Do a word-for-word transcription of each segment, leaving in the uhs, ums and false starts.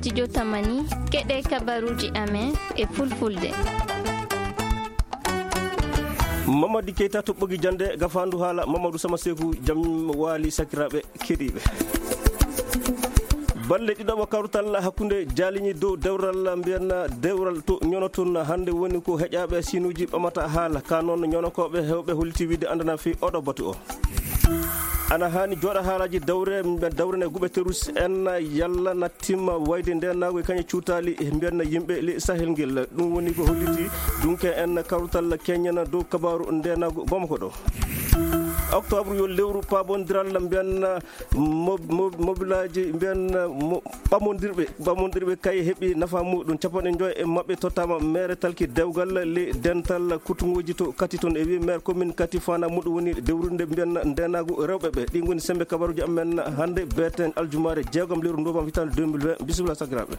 Studio Tamani, keɗe kabaruuji amen e fulfulde. Mamadi Keita toɓɓogi jande gafandu haala Mamadou Sama Seku, jam waali sakiraaɓe keɗiiɓe. Balle ɗiɗaɓo kawtal hakkunde jaaliñi dow dewral mbiyan dewral to ñono tun hannde woni ko heƴaaɓe sinuuji ɓamata haala ka noon ñonokooɓe hewɓe holliti wiide andana fi oɗo batu o. Ana haani jooɗa haalaaji dawre, dawre ne guɓe terus en yalla na timma wayde ndeenaagu e kañe cuutaali mbiyan yimɓe le Sahel ngel. Ɗum woni ko holliti dunke en kawtal keñana dow kabaaru ndeenaagu Bamako ɗo. Octobre yo lewru paabondiral mbiyan mo-, mo-, mobilaaji mbiyan mo-, ɓamondirɓe, ɓamondirɓe kay heɓi nafa muɗum. Capanɗe joy e maɓɓe tottama mere talki dewgal le dental kutunguji to Kati toon. E wi maire commune Kati fana muɗum woni dewrude mbiyan ndeenaagu rewɓe ɓe. Ɗi ngoni sembe kabaruji amen hannde beten aljumaare jeegom lewru novembre hitande deux mille vingt. Bisimilla sakiraaɓe.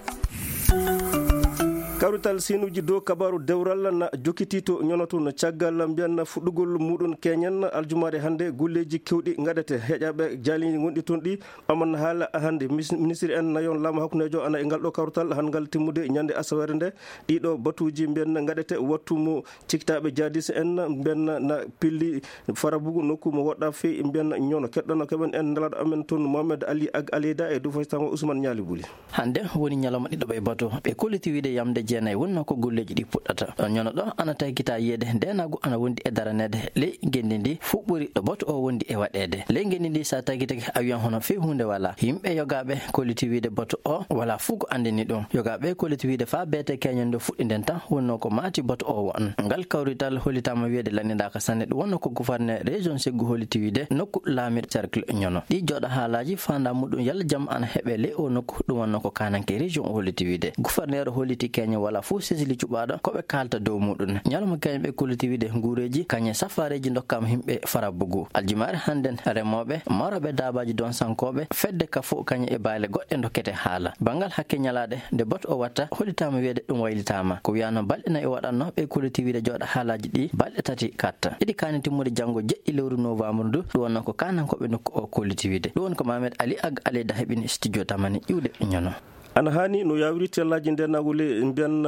Kawrital sinuji dow kabaru dewral na jokkiti to ñono toon caggal mbiyan fuɗɗugol muɗum keñen aljumaare hannde golleji kewɗi ngaɗete. Heƴaɓe jaali gonɗi toon ɗi aman haala hannde. Mis-, ministre en nayon laamu hakkundejo ana e ngal ɗo kawrital han ngal timmude ñande asaweere nde. Ɗiɗo batuji mbiyan ngaɗete wattu mo ciktaɓe jadis en mbiyan na pilli farabugu nokku mo woɗɗa fey mbiyan ñono. Keɗɗano keɓen en nelaɗo amen toon Mohamed Ali Ag Aleyda e dow faytango Ousmane Ñaali Buli. Hannde woni ñalawma ɗiɗaɓo e batu. Ɓe kolliti wiide yamde jeenayi wonnoo ko golleeji ɗi puɗɗata. Ɗon ñono ɗo ana taykita yiyeede ndeenaagu ana wondi e daraneede ley ngenndi ndi fuɓɓori ɗo batu o wondi e waɗeede. Ley ngenndi ndi, so a taykitake awiyon hono fii huunde walaa. Yimɓe yogaaɓe kolliti wiide batu o walaa fuu ko anndini ɗum. Yogaaɓe kolliti wiide faa beete keñen ndo fuɗɗi nden tan wonnoo ko maati batu o won. Ngal kawrital hollitaama wiyeede lanndidaaka sanne. Ɗum wonnoo ko gouverneur région Ségou holliti wiide nokku laamiiɗo cercle ñono. Ɗi jooɗa haalaaji faandaa muɗum yalla jam ana heɓe ley o nokku. Ɗum wonnoo ko kaananke région o holliti wiide. Gouverneur holliti keñe wala fof sesili cuɓaaɗo ko ɓe kaalta dow muɗum. Ñalawma keñe ɓe kolliti wiide nguureeji kañe safaareeji ndokkaama yimɓe farabugu. Aljumaare hannden remooɓe, marooɓe daabaaji donsankooɓe, fedde ka fof kañe e baale goɗɗe ndokkete haala. Banngal hakke ñalaaɗe nde batu o watta hollitaama wiyeede ɗum waylitaama. Ko wiyaano balɗe nayi o waɗatno ɓe kolliti wiide jooɗa haalaaji ɗi balɗe tati katta. Iɗi kaani timmude janngo jeɗɗi lewru novembre ndu. Ɗum wonnoo ko kaanankooɓe nokku o kolliti wiide. Ɗum woni ko Mohamed Ali Ag Aleyda heɓini studio Tamani iwde ñono. Ana haani no yawiri tellaaji ndeenaagu le mbiyan,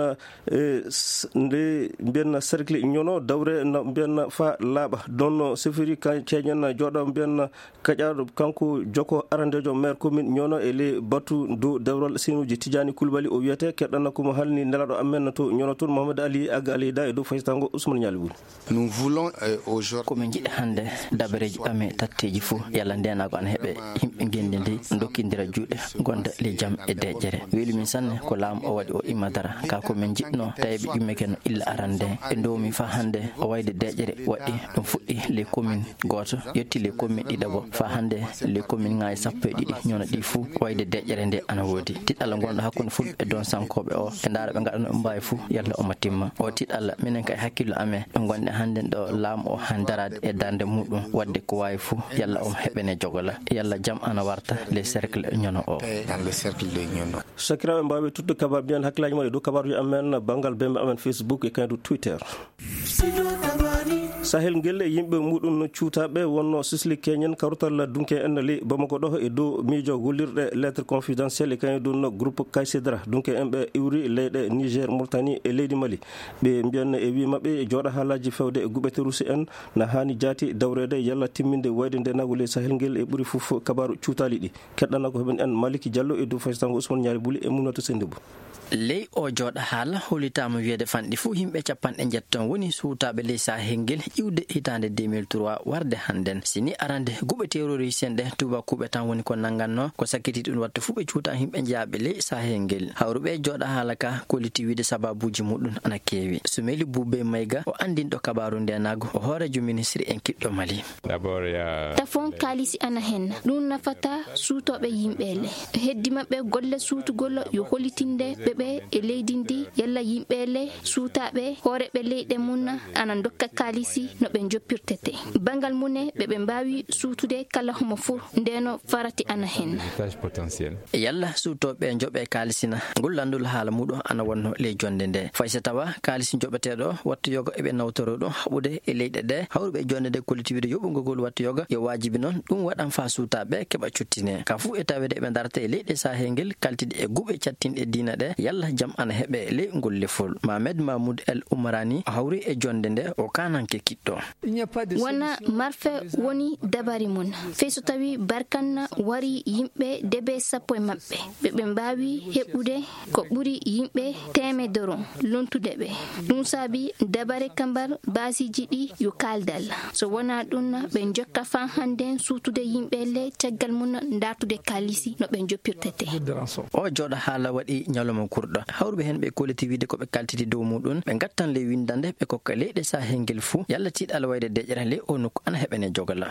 eh, s-, nde mbiyan cercle ñono dawre no mbiyan fa laaɓa. Ɗon no sefiri ka ceeñen jooɗo mbiyan kaƴaaɗo kanko joko arandeejo maire commune ñono e le batu dow dewral sinuji Tidiani Koulibaly o wiyete. Keɗɗana ko mo halni nelaɗo amen to ñono toon Mohamed Ali Ag Aleyda e dow faytango Ousmane Ñaali Buli. Nous voulons, euh, aujourd'hui Ko min njiɗi hannde dabareeji ɓame tatteeji fof yalla ndeenaagu ana heɓe yimɓe ngenndi ndi ndokkindira juuɗe gonda le jam e deƴƴere. Weli min sanne ko laamu o waɗi o imma dara ka ko min njiɗno tawi ɓe ƴummeke no illa arande ɓe ndoomi fa hannde o wayde deƴƴere waɗi ɗum fuɗɗi le commune gooto yetti le commune ɗiɗaɓo fa hannde le commune ŋaaji sappo e ɗiɗi ñono ɗi fof wayde deƴƴere nde ana woodi. Tiɗalla ngonɗo hakkunde fulɓe e donsankooɓe o e ndaara ɓe ngaɗano ɓe mbaawi fof yalla omo timma o tiɗalla minen kay hakkillo amen ɗo ngonɗen hannden ɗo laamu o han daraade e darnde muɗum waɗde ko waawi fof yalla omo heɓene jogola yalla jam ana warta le cercle ñono o. Dans le cercle de Nyono. Sakiraaɓe mbaawi tuttude kabaar mbiyan hakkillaaji mon e dow kabaaruji amen banngal bembe amen Facebook e kaydu Twitter. Sahel ngel e yimɓe muɗum cuutaaɓe wonno sisli keñen kawtal dunke en li Bamako ɗo e dow miijo gollirɗe lettre confidentielle e kañum ɗum groupe Kaysedra. Dunke en ɓe iwri leyɗe Niger, Mauritanie e leydi Mali. Ɓe mbiyan e wi maɓɓe jooɗa haalaaji fewde e guɓete Rusi en na haani jaati dawreede yalla timminde wayde ndenaagu ley Sahel ngel e ɓuri fof kabaaru cuutaali ɗi. Keɗɗana ko heɓen en Maliki Diallo e dow faysango Ousmane Ñaari Buli e Mumnata Sendou Bou. Ley o jooɗa haala, hollitaama wiyeede fanɗi fuu yimɓe capanɗe njeeto woni suutaaɓe ley Sahel ngel iwde hitaande deux mille trois warde hannden. Si ni arande guɓe terroriste en ɗe tuubakuuɓe tan woni ko nanngannoo, ko sakkiti ɗum watta fuu ɓe cuuta yimɓe jeyaaɓe ley Sahel ngel. Hawruɓe e jooɗa haala ka kolliti wiide sababuuji muɗum ana keewi. Sumeli Buube Mayga o anndinɗo kabaaru ndeenaagu, o hooreejo ministri en kiɗɗo Mali. D'abord, il y a Tafon kaalisi ana hen. Ɗum nafata suutooɓe yimɓe le. Heddi maɓɓe golle suutugol yo hollitinde ɓe heewɓe e leydi ndi, yalla yimɓe le suutaaɓe hooreeɓe leyɗe mum ana ndokka kaalisi no ɓe njoppirtete. Banngal mum e ɓe ɓe mbaawi suutude kala homo fuu, ndeno farati ana hen. Yalla suutooɓe njoɓe kaalisi na? Ngol lanndol haala muɗum ana wonno ley jonnde nde. Fay so tawa kaalisi njoɓeteeɗo wattu yoga eɓe nawtoro ɗum haɓude e leyɗe ɗe hawruɓe e jonnde nde kollitiwide yoɓugol wattu yoga yo waajibi noon ɗum waɗan faa suutaaɓe keɓa cuttine. Ka fuu e taweede eɓe darata e leyɗe sahel ngel kaltiɗe e guɓe cattinɗe diina ɗe yalla jam ana heɓe ley ngol lefol. Mamed Mahmoud El Umarani hawri e jonnde nde o kananke kiɗɗo. Wona marfe woni dabari mum. Fay so tawi barkanna wari yimɓe debe sappo e maɓɓe, ɓe ɓe mbaawi heɓude ko ɓuri yimɓe teemedoro lontude ɓe. Ɗum saabi dabare kambar baasiji ɗi yo kaaldal. So wona ɗum ɓe njokka faa hannden suutude yimɓe le caggal mum dartude kaalisi no ɓe njoppirtete. O jooɗo haala waɗi ñalawma kurɗo. Hawruɓe heen ɓe kolliti wiide ko ɓe kaltiti dow muɗum ɓe ngattan ley winndande ɓe kokka leyɗe sahel ngel fuu yalla tiiɗal wayde deƴƴere ley o nokku ana heɓene jogala.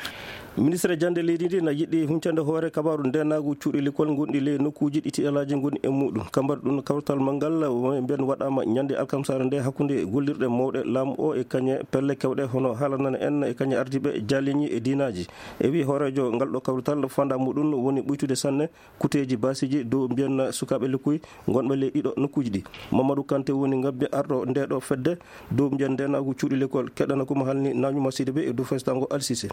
Ministre jannde leydi ndi na yiɗi huncande hoore kabaaru ndeenaagu cuuɗi likol ngonɗi ley nokkuuji ɗi tiiɗalaaji ngoni e muɗum. Kambar ɗum kawtal manngal mbiyen waɗaama ñande alkamsaare nde hakkunde gollirɗe mawɗe laamu o e kañe pelle kewɗe hono haalanana en e kañe ardiiɓe jaaliñi e diinaaji. E wi hooreejo ngal ɗo kawrital fanda muɗum woni ɓuytude sanne kuteeji baasiji dow mbiyen sukaaɓe lekkuy ngonɓe ley ɗiɗo nokkuuji ɗi. Mamadou Kanté woni ngabbi arɗo nde ɗo fedde dow mbiyen ndeenaagu cuuɗi lekol. Keɗana ko mo halni nañuma sidi ɓe e dow festango alsise.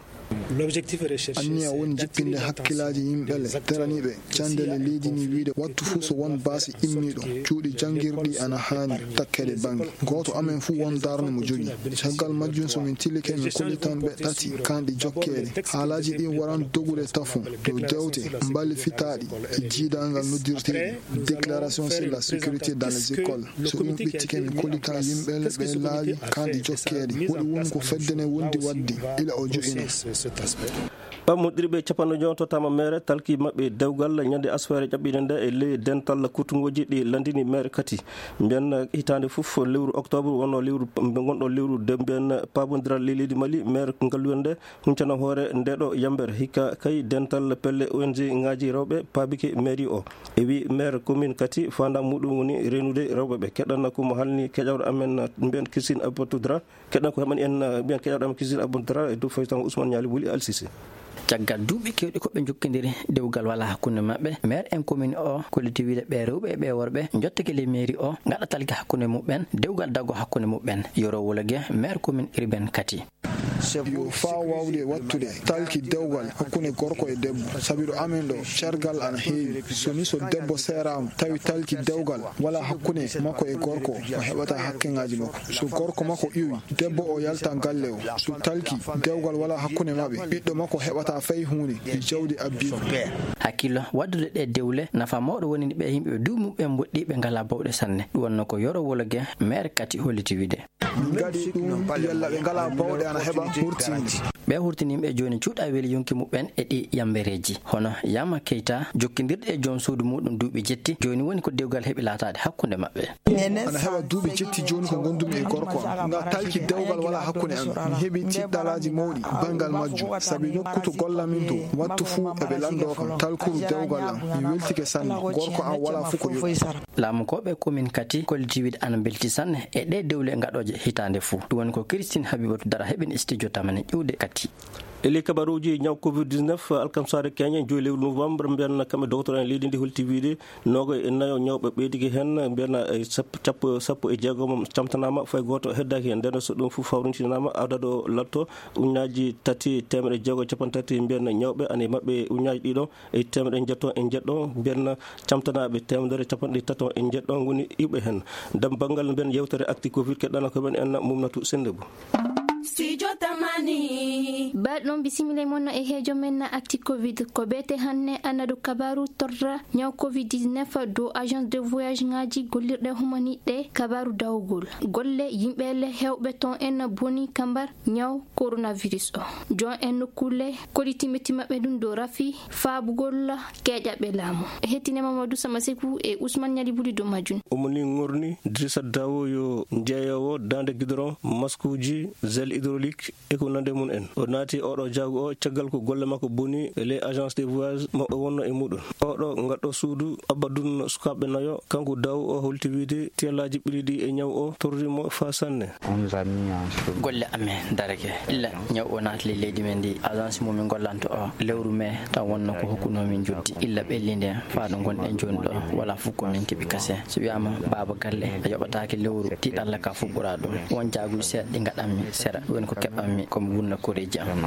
Anniya woni jippinde hakkilaaji yimɓe le teraniiɓe candele leydi ni wiide wattu fuu so won baasi immiiɗo cuuɗi janngirɗi ana haani takkeede bannge gooto amen fuu won darnde mo jogii. Caggal majjum so min tillike min kollitan ɓe ɗati kanɗi jokkeede. Haalaaji ɗin waran dogude tafon dow dewte mballifitaaɗi e jiidangal noddirteeɗi déclaration sur la sécurité dans les écoles. So ɗum ɓittike min kollitan yimɓe le ɓe laawi kanɗi jokkeede woɗi won ko fedde ne wondi waɗde ila o jo'ino. Pammoɗirɓe capanɗe joyo tottama maire talki maɓɓe dewgal ñande asfere ƴaɓɓiɗe nde e ley dental kuttungooji ɗi landini maire kati. Mbiyen hitaande fof lewru octobre wonno lewru gonɗo lewru de mbiyen pabondiral ley leydi Mali maire ngalluwel nde huncana hoore nde ɗo yamber hikka kay dental pelle O N G ngaji rewɓe paabike mairie o. E wi maire commune kati fanda muɗum woni renude rewɓe ɓe keɗanna ko mo halni keƴawɗo amen mbiyen Christine Abbatudra. Keɗɗen ko heɓani en mbiyen keɗaɗo am kisir abondara e dow faytan Ousmane Ñaali Wuli Alsisi. Caggal duuɓi kewɗi ko ɓe njokkindiri dewgal wala hakkunde maɓɓe maire en commune o kolliti wiide ɓe rewɓe e ɓe worɓe jottake ley mairie o gaɗa talki hakkunde muɓɓen dewgal daggo hakkunde muɓɓen yoro wologe maire commune urbaine kati. Yo faa wawde wattude talki dewgal hakkunde gorko e debbo sabi ɗo amen ɗo cergal ana heewi so ni so debbo seeraama tawi talki dewgal wala hakkunde makko e gorko o heɓata hakkeŋaaji makko. So gorko makko iwi debbo o yalta galle o so talki dewgal wala hakkunde maɓɓe ɓiɗɗo makko heɓata fay huunde e jawdi abbiiɗo. Hakkillo waddude ɗe dewle nafa mawɗo wonini ɓe yimɓe duuɓi muɓɓen mboɗɗi ɓe ngala bawɗe sanne ɗum wonno ko yoro wologe maire kati holliti wiide. Min ngaɗi ɗum yalla ɓe ngala bawɗe ana heɓa hurtinde. Ɓe hurtini yimɓe jooni cuuɗa weli yonki muɓɓen e ɗi yambereeji hono Yama Keita jokkindirɗe e joom suudu muɗum duuɓi jetti jooni woni ko dewgal heɓi laataade hakkunde maɓɓe. Ana heɓa duuɓi jetti jooni ko ngondumi e gorko am nga talki dewgal wala hakkunde amen mi heɓi tiɗɗalaaji mawɗi banngal majjum sabi nokku to gollamin to wattu fuu eɓe lanndo kam talkuru dewgal am mi weltike sanne gorko am wala fuu ko yoɓi. Laamu ko ɓe komin kati kolliti wiide ana mbelti sanne e ɗe dewle ngaɗooje hitaande fuu ɗum woni ko Christine Habibatu Dara heɓin studio tamane ƴuwde kati. E ley kabaruuji ñaw covid dix-neuf alkamsaare keñe joyi lewru novembre mbiyan kamɓe dogotoro en leydi ndi holti wiide noogay e nayo ñawɓe ɓeydike heen mbiyan e sappo e jeegom camtanaama fay gooto heddaaki heen ndeno so ɗum fof fawrintinaama adadu o latto uñaaji tati teemedde jeego capanɗe tati mbiyan ñawɓe ana e maɓɓe uñaaji ɗiɗo e teemedde njeɗɗo e njeɗɗo mbiyan camtanaaɓe teemedere capanɗe tato e njeɗɗo ngoni iwɓe heen. Dam banngal mbiyan yewtere acti covid keɗɗana ko men en mumnatu sennde bu. Studio Tamani. Baɗɗon bisimila mon e heejo men na acti covid ko beete hanne annadu kabaru torra ñaw covid dix-neuf dow agence de voyage ngaji gollirɗe humaniɗe kabaru dawgol golle yimɓe le hewɓe ton en boni kambar ñaw coronavirus o. Jon en nokkulle koliti metti maɓɓe ɗum dow rafi faabugol keeƴaɓe laamu. Hettine Mamadou Samaseku e Ousmane Ñali Buli dow majjum. Omo ni ŋorni Drissa Dawo yo jeeyowo daande gidoron maskuuji gel hydraulique e ko nande mum en o naati. Oɗo jaagu o, caggal ko golle makko boni e les agences de voyage mo o wonno e muɗum. Oɗo ngal ɗo suudu abbadunno sukaaɓe nayo, kanko daw o holti wiide tiyallaaji ɓili ɗi e ñaw o torri mo faa sanne. Golle amen darake. Illa ñaw o naatli leydi men ndi, agence mo min gollanto o, lewru mai tan wonno ko hokkuno min joddi. Illa ɓelli nden faa ɗo gonɗen jooni ɗo, wala fof ko min keɓi kase. So wiyaama baaba galle a yoɓataake lewru, tiiɗalla ka fof ɓura ɗum. Won jaaguji seeɗa ɗi ngaɗanmi sera, woni ko keɓanmi ko mi wurna koreeji am.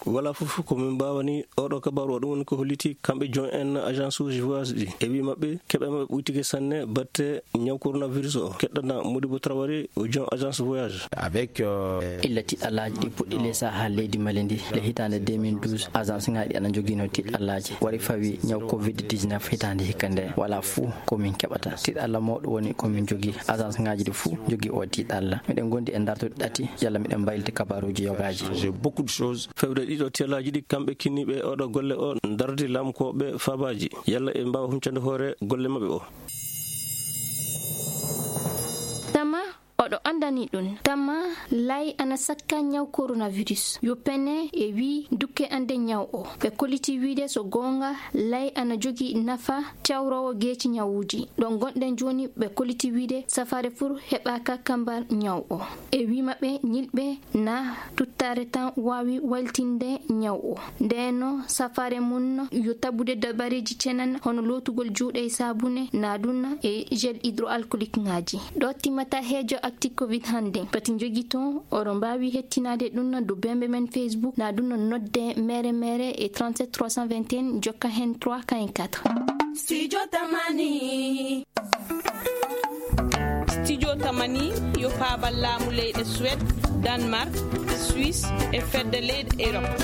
Wala fof ko min mbaawani. Oɗo kabaru o ɗum woni ko holliti kamɓe joom en agence uji voyage ɗi. E wi maɓɓe keɓe maɓɓe ɓuytike sanne batte ñaw coronavirus o keɗɗana Modibo Traoré o joom agence voyage. Avec, euh, illa tiɗɗallaaji ɗi puɗɗi le saha leydi Mali ndi le hitaande deux mille douze, agence ŋaaji ɗi ana jogiino tiɗɗallaaji wari fawi ñaw covid dix-neuf hitaande hikka nde. Wala fuu ko min keɓata. Tiɗɗalla mawɗo woni ko min jogii. Agence ŋaaji ɗi fuu jogii o tiɗɗalla. Miɗen gondi e dartuɗe ɗati yalla miɗen mbayliti kabaruuji yogaaji. J'ai beaucoup de choses. Fewde ɗiɗo tiyallaaji ɗi kamɓe kinniiɓe oɗo golle o dardi laamkooɓe faabaaji yalla e mbaawa huncande hoore golle maɓɓe o. Tama oɗo anndani ɗum. Tama lay ana sakka ñaw coronavirus. Yo pene e wi dukke ande ñaw o. Ɓe koliti wiide so goonga lay ana jogi nafa cawrowo geeci ñawuuji. Ɗo gonɗen jooni ɓe koliti wiide safaare fur heɓaaka kambar ñaw o. E wi maɓɓe ñilɓe na tuttaare tan waawi waltinde ñaw o. Ndeno safaare mum yo tabude dabareeji cenan hono lootugol juuɗe e saabune na ɗum e gel hydroalcoolique ŋaaji. Ɗo timmata heejo acti covid hannde. Pati jogito oɗo mbaawi hettinaade ɗum do bembe men Facebook na ɗum nodde mere mere e trente-sept trois cent vingt et un jokka hen trois quarante-quatre. Studio Tamani. Studio Tamani yo paabal laamu leyɗe Suède, Danemark, Suisse e fedde leyɗe Europe.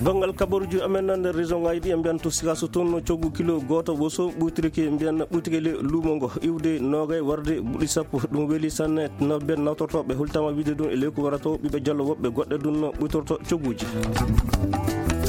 Banngal kabaruuji amen nan nder région ŋaaji ɗi, en mbiyan to Sikaso toon, coggu kilo gooto woso ɓuytirike, mbiyan ɓuytirike le luumo ngo iwde noogay warde buɗi sappo. Ɗum weli sanne. Naw-, mbiyan nawtortooɓe hultama wiide ɗum e leyku warato ɓiɓɓe jallo woɓɓe goɗɗe ɗum no ɓuytorto cogguuji.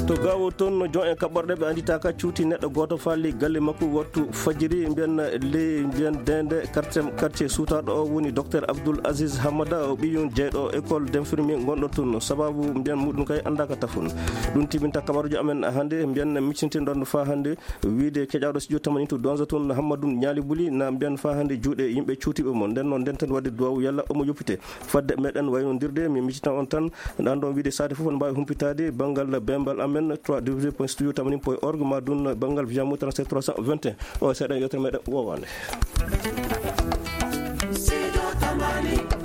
To Gaawo toon, no jon en kaɓɓorɗe ɓe annditaaka cuuti neɗɗo gooto faali galle makko wattu fajiri, mbiyan ley, mbiyan deende quartier, quartier suutaaɗo o woni docteur Abdoul Aziz Hamada, o ɓiyum jeyɗo école d'infirmier gonɗo toon. Sababu mbiyan muɗum kay anndaaka tafon. Ɗum timinta kabaruuji amen hannde, mbiyan miccintinɗon faa hannde. Wiide keƴaaɗo studio Tamani to Donza toon, Hammadou Ñaali Buli, na mbiyan faa hannde juuɗe yimɓe cuutiiɓe mo. Nden noon, ndenten waɗde duwaawu yalla omo yoppite. Fadde meɗen waynondirde, mi miccitan on tan, ɗan ɗon wiide saate fof on mbaawi humpitaade banngal bembal amen, trois w point studio tamani point org, ma ɗum banngal via mo trente-sept trois cent vingt et un. O seeɗa yewtere meɗen woowaande. Studio Tamani.